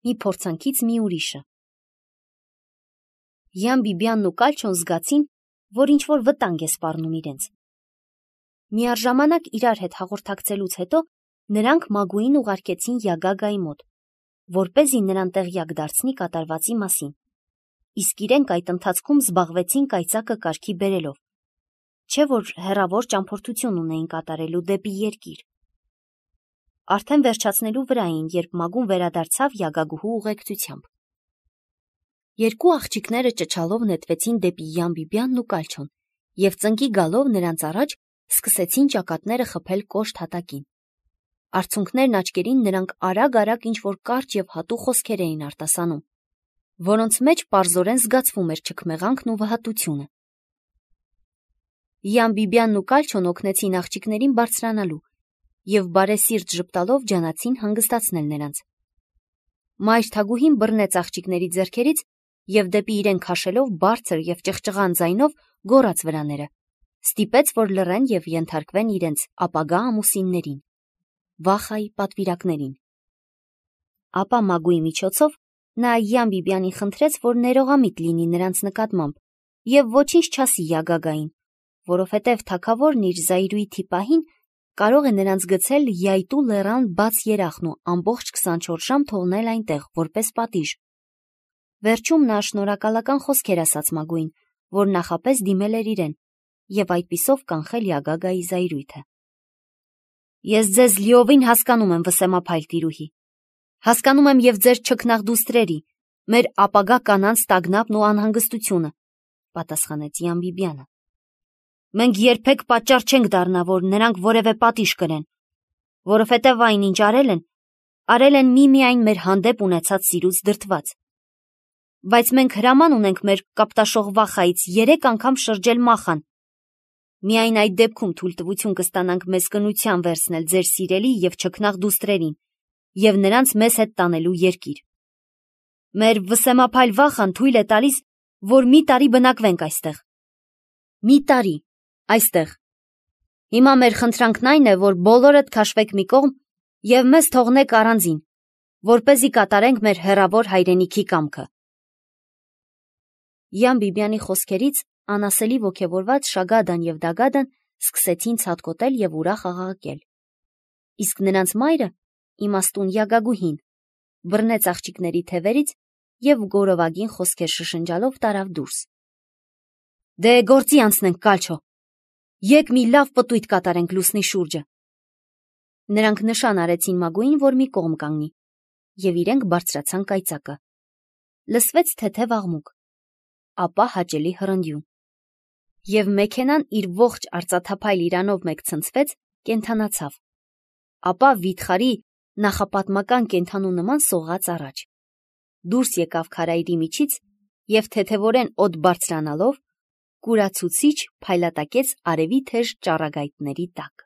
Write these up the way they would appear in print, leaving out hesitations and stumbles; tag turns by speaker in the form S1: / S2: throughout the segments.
S1: մի փորձանքից մի ուրիշը։ Յան Բիբյանն ու Կալչոն զգացին, որ ինչ-որ վտանգ է սպառնում իրենց։ Միառժամանակ իրար հետ հաղորդակցելուց հետո նրանք Մագուին ուղարկեցին Յագագայի մոտ, որպեսզի նրան տեղյակ դարձնի կատարվածի մասին, իսկ իրենք այդ ընթացքում զբաղվեցին կայծակը կարգի բերելով, չէ որ հեռավոր ճամփորդություն ունեին կատարելու դեպի երկիր։ Արդեն վերջացնելու վրա էին, երբ Մագուն վերադարձավ Յագագուհու ուղեկցությամբ։ Երկու աղջիկները ճչալով նետվեցին դեպի Յան Բիբյանն ու Կալչոն և ծնկի գալով նրանց առաջ սկսեցին ճակատները խփել կոշտ հատակին։ Արցունքներն աչքերին նրանք արագ-արագ ինչ-որ կարճ և հատուկ խոսքեր էին արտասանում, որոնց մեջ պարզորեն զգացվում էր չքմեղանքն ու վհատությունը։ Յան Բիբյանն ու Կալչոն օգնեցին աղջիկներին բարձրանալու և բարեսիրտ ժպտալով ջանացին հանգստացնել նրանց։ Մայր Թագուհին բռնեց աղջիկների ձեռքերից և դեպի իրեն քաշելով բարձր և ճղճղան ձայնով գոռաց վրաները, ստիպեց, որ լռեն և ենթարկվեն իրենց ապագա ամուսիններին, Վախայի պատվիրակներին։ Ապա Մագուի միջոցով նա Յան Բիբյանին խնդրեց, որ ներողամիտ լինի նրանց նկատմամբ և ոչինչ չասի Յագագային, որովհետև թագավորն իր զայրույթի պահին կարող է նրանց գցել Յայտու լեռան բաց երախն ու ամբողջ 24 ժամ թողնել այնտեղ, որպես պատիժ։ Վերջում նա շնորհակալական խոսքեր ասաց Մագուին, որ նախապես դիմել էր իրեն, և այդպիսով կանխել Յագագայի զայրույթը։ Ես ձեզ լիովին հասկանում եմ, վսեմափայլ տիրուհի, հասկանում եմ և ձեր չքնաղդուստրերի, մեր ապագա կանանց տագնապն ու անհանգստությունը, պատասխանեց Յան Բիբյանը։ Մենք երբեք պատճառ չենք դառնա, որ նրանք որևէ պատիժ կրեն, որովհետև այն, ինչ արել են միմիայն մեր հանդեպ ունեցած սիրուց դրդված։ Բայց մենք հրաման ունենք մեր կապտաշող Վախայից 3 անգամ շրջել Մախան։ Միայն այդ դեպքում թույլտվություն կստանանք մեզ կնության վերցնել ձեր սիրելի և չքնաղ դուստրերին և նրանց մեզ հետ տանելու երկիր։ Մեր վսեմափայլ Վախան թույլ է տալիս, որ մի տարի բնակվենք այստեղ։ Մի տարի այստեղ։ Հիմա մեր խնդրանքն այն է, որ բոլորդ քաշվեք մի կողմ և մեզ թողնեք առանձին, որպեսզի կատարենք մեր հեռավոր հայրենիքի կամքը։ Յան Բիբյանի խոսքերից անասելի ոգևորված Շագադան և Դագադան սկսեցին ցատկոտել և ուրախ աղաղակել։ Իսկ նրանց մայրը, իմաստուն Յագագուհին, բռնեց աղջիկների թևերից և գորովագին խոսքեր շշնջալով տարավ դուրս։ Դե գործի անցնենք, Կալչո, եկ մի լավ պտույտ կատարենք լուսնի շուրջը։ Նրանք նշան արեցին Մագուին, որ մի կողմ կանգնի, և իրենք բարձրացան կայծակը։ Լսվեց թեթև աղմուկ, ապա հաճելի հռնդյուն, և մեքենան իր ողջ արծաթափայլ իրանով մեկ ցնցվեց, կենդանացավ, ապա վիթխարի նախապատմական կենդանու նման սողաց առաջ, դուրս եկավ քարայրի միջից և թեթևորեն օդ բարձրանալով կուրացուցիչ փայլատակեց արևի թեժ ճառագայթների տակ։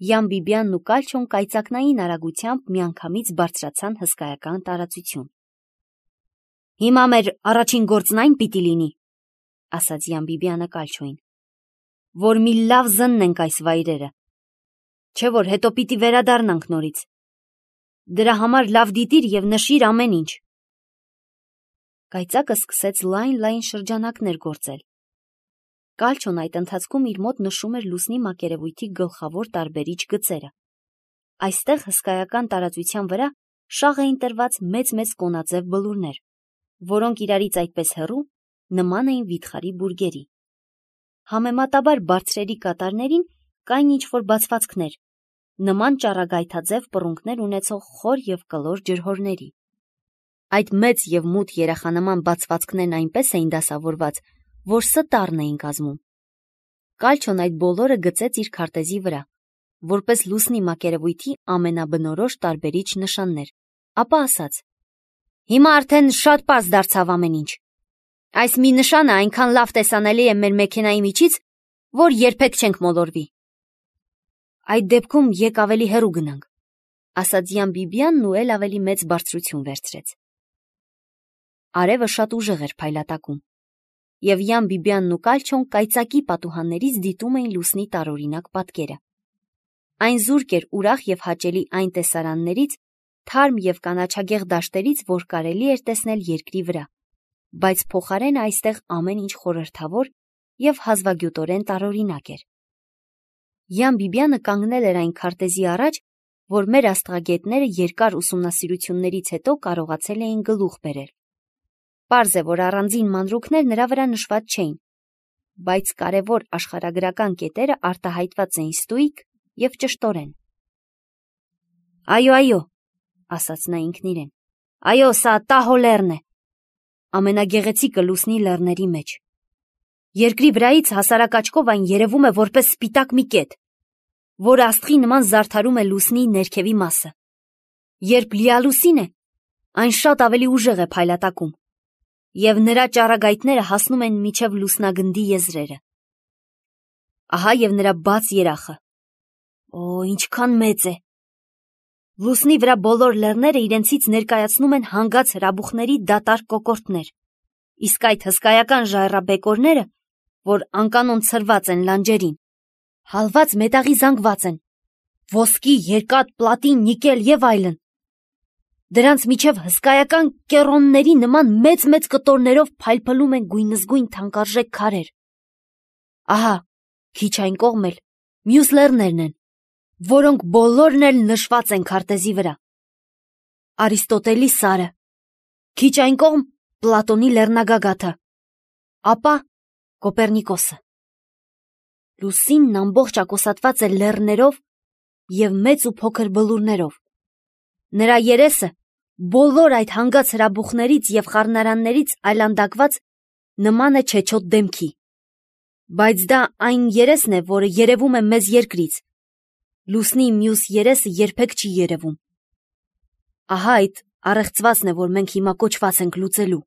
S1: Յան Բիբյանն ու Կալչոն կայծակնային արագությամբ միանգամից բարձրացան հսկայական տարածություն։ Հիմա մեր առաջին գործն այն պիտի լինի, ասաց Յան Բիբյանը Կալչոին, որ մի լավ զննենք այս վայրերը, չէ որ հետո պիտի վերադառնանք նորից։ Դրա համար լավ դիտիր և նշիր ամեն ինչ։ Կայծակը սկսեց լայն շրջանակներ գործել։ Կալչոն այդ ընթացքում իր մոտ նշում էր լուսնի մակերևույթի գլխավոր տարբերիչ գծերը։ Այստեղ հսկայական տարածության վրա շաղ էին տրված մեծ կոնաձև բլուրներ, որոնք իրարից այդպես հեռու նման էին վիթխարի բուրգերի։ Համեմատաբար բարձրերի կատարներին կային ինչ-որ բացվածքներ, նման ճառագայթաձև պռունգներ ունեցող խոր և կլոր ջրհորների։ Այդ մեծ և մութ երախանման բացվածքներն այնպես էին դասավորված, որ ստառն էին կազմում։ Կալչոն այդ բոլորը գծեց իր քարտեզի վրա, որպես լուսնի մակերևույթի ամենաբնորոշ տարբերիչ նշաններ, ապա ասաց. Հիմա արդեն շատ պարզ դարձավ ամեն ինչ։ Այս մի նշանը այնքան լավ տեսանելի է մեր մեքենայի միջից, որ երբեք չենք մոլորվի։ Այդ դեպքում եկ ավելի հեռու գնանք, ասաց Յան Բիբյանն ու էլ ավելի մեծ բարձրություն վերցրեց։ Արևը շատ ուժեղ էր փայլատակում, և Յան Բիբյանն ու Կալչոն կայծակի պատուհաններից դիտում էին լուսնի տարօրինակ պատկերը։ Այն զուրկ էր ուրախ և հաճելի այն տեսարաններից, թարմ և կանաչագեղ դաշտերից, որ կարելի էր տեսնել երկրի վրա, բայց փոխարենը այստեղ ամեն ինչ խորհրդավոր և հազվագյուտորեն տարօրինակ էր։ Յան Բիբյանը կանգնել էր այն քարտեզի առաջ, որ մեր աստղագետները երկար ուսումնասիրություններից հետո կարողացել էին գլուխ բերել։ Պարզ է, որ առանձին մանրուքներ նրա վրա նշված չէին, բայց կարևոր աշխարհագրական կետերը արտահայտված էին ստույգ և ճշտորեն։ «Այո, ասաց նա ինքն իրեն, այո, սա Տահո լեռն է, ամենագեղեցիկը լուսնի լեռների մեջ։ Երկրի վրայից հասարակ աչքով այն երևում է որպես սպիտակ մի կետ, որը աստղի նման զարդարում է լուսնի ներքևի մասը։ Երբ լիալուսին է, այն շատ ավելի ուժեղ է փայլատակում, և նրա ճառագայթները հասնում են մինչև լուսնագնդի եզրերը։ Ահա և նրա բաց երախը։ Օ, ինչքան մեծ է։ Լուսնի վրա բոլոր լեռները իրենցից ներկայացնում են հանգած հրաբուխների դատարկ կոկորդներ, իսկ այդ հսկայական ժայռաբեկորները, որ անկանոն ցրված են լանջերին, հալված մետաղի զանգված են, ոսկի, երկաթ, պլատին, նիկել և այլն։ Դրանց միջև հսկայական կեռոնների նման մեծ կտորներով փայլփլում են գույնզգույն թանկարժեք քարեր։ Ահա, քիչ այն կողմ էլ մյուս լեռներն են, որոնք բոլորն էլ նշված են քարտեզի վրա։ Արիստոտելի Սարը, քիչ այն կողմ Պլատոնի լեռնագագաթը, ապա Կոպեռնիկոսը։ Լուսինն ամբողջ ակոսատված է լեռներով և մեծ ու փոքր բլուրներով։ Նրա երեսը բոլոր այդ հանգած հրաբուխներից և խառնարաններից այլանդակված նման է չեչոտ դեմքի, բայց դա այն երեսն է, որը երևում է մեզ երկրից, լուսնի մյուս երեսը երբեք չի երևում։ Ահա այդ առեղծվածն է, որ մենք հիմա կոչված ենք լուծելու։